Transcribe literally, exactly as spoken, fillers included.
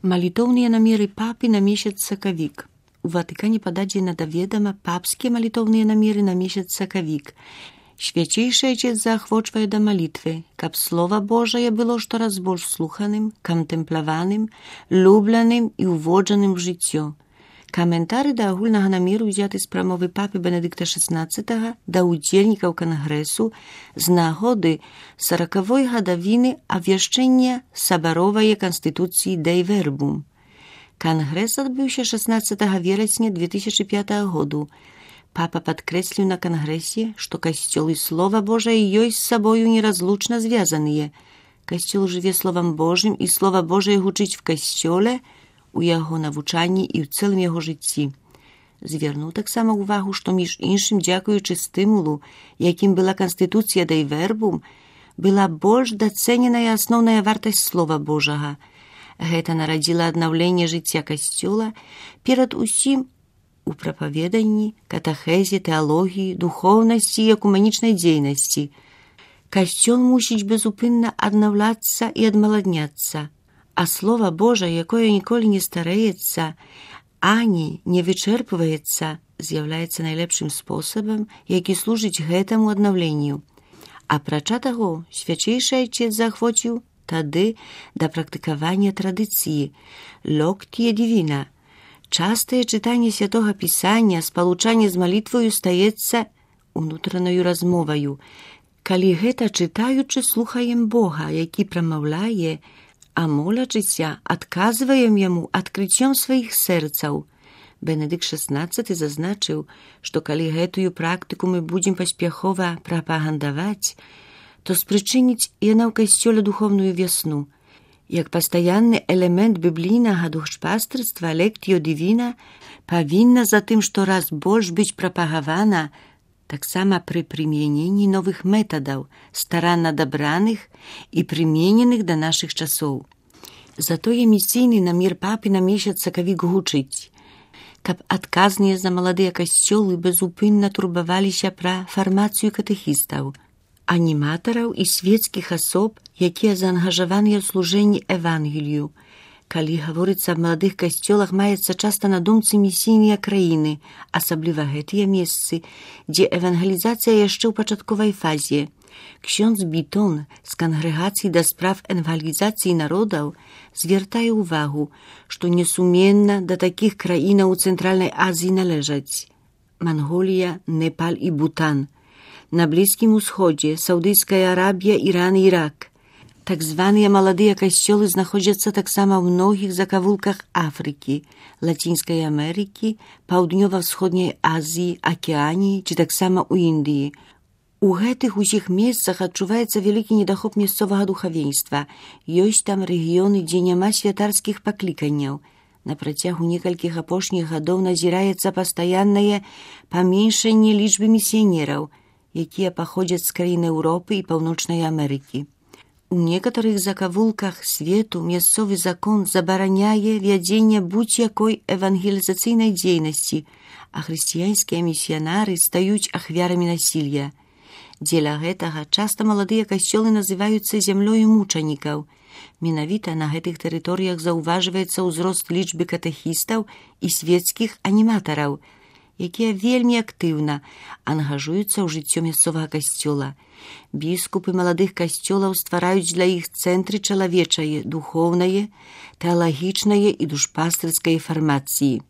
Малітоўныя намеры папы на месяц сакавік. У Ватыкане пададзена да ведама папскія малітоўныя намеры на месяц сакавік. Свяцейшы Айцец заахвочвае да малітвы, каб Слова Божае было штораз больш слуханым, кантэмплаваным, любленым і ўводжаным в жыццё. Каментары да агульнага намеру ўзяты з прамовы папы Бенедыкта шаснаццатага да ўдзельнікаў кангрэсу з нагоды саракавой гадавіны абвяшчэння сабаровае канстытуцыі Дэй Вербум. Кангрэс адбыўся шаснаццатага верасня две тысячы пятага году. Папа падкрэсліў на кангрэсе, што касцёл і Слова Божае ёсць з сабою неразлучна звязаныя. Касцёл жыве Словам Божым, і Слова Божае гучыць в касцёле, у яго навучанні і ў цэлым яго жыцці. Звярнуў таксама ўвагу, што між іншым, дзякуючы стымулу, якім была канстытуцыя Дэй Вербум, была больш дацэненая асноўная вартасць Слова Божага. Гэта нарадзіла аднаўленне жыцця касцёла перад усім у прапаведанні, катэхезе, тэалогіі, духоўнасці і экумэнічнай дзейнасці. Касцёл мусіць безупынна аднаўляцца і адмаладняцца, а Слова Божае, якое ніколі не старэецца, ані не вычэрпваецца, з'яўляецца найлепшым спосабам, які служыць гэтаму аднаўленню. Апрача таго, свячэйшы Айцец заахвоціў тады да практыкавання традыцыі «Локтія дівіна». Частае чытанне святога пісання, спалучанне з малітвою стаецца унутранаю размоваю. Калі гэта чытаючы, слухаем Бога, які прамаўляе, а молячыся, адказваем яму адкрыццём сваіх сэрцаў. Бенедыкт шаснаццаты зазначыў, што калі гэтую практыку мы будзем паспяхова прапагандаваць, то спрычыніць яна ў касцёле духовную вясну. Як пастаянны элемент біблійнага духшпастерства «Лектіо дівіна» павінна затым штораз больш быць прапагавана таксама пры прымяненні новых метадаў, старанна дабраных і прымененых да нашых часоў. Затое місійны намер папы на месяц сакавік гучыць, каб адказныя за маладыя касцёлы безупынна турбаваліся пра фармацыю катэхістаў, аніматараў і свецкіх асоб, якія заангажаваныя ў служэнні Евангелію. Калі гаворыцца аб маладых касцёлах, маецца часта на думцы місійныя краіны, асабліва гэтыя месцы, дзе евангелізацыя яшчэ ў пачатковай фазе. Ksiądz Бітон з кангрэгацыі да справ евангелізацыі народаў звяртае ўвагу, што несуменна да такіх краінаў у Цэнтральнай Азіі належаць Манголія, Непал і Бутан, на Блізкім Усходзе, Саудыйская Арабія, Іран і Ірак. Так званыя маладыя касцёлы знаходзяцца таксама ў многіх закавулках Афрыкі, Лацінскай Амерыкі, Паўднёва-ўсходняй Азіі, Акеаніі ці таксама ў Індыі. У гэтых усіх месцах адчуваецца вялікі недахоп мясцовага духавенства. Ёсць там рэгіёны, дзе няма святарскіх пакліканняў. На працягу некалькіх апошніх гадоў назіраецца пастаяннае паменшанне лічбы місіянераў, якія паходзяць з краін Еўропы і Паўночнай Амерыкі. У некаторых закавулках свету мясцовы закон забараняе вядзенне будь-якой евангелізацыйнай дзейнасці, а хрысціянскія місіянары стаюць ахвярамі насілля. Дзеля гэтага часта маладыя касцёлы называюцца зямлёю мучанікаў. Менавіта на гэтых тэрыторыях заўважваецца ўзрост лічбы катэхістаў і свецкіх аніматараў, якія вельмі актыўна ангажуюцца ў жыццё мясцовага касцёла. Біскупы маладых касцёлаў ствараюць для іх цэнтры чалавечае, духоўнае, тэалагічнае і душпастырскай фармацыі.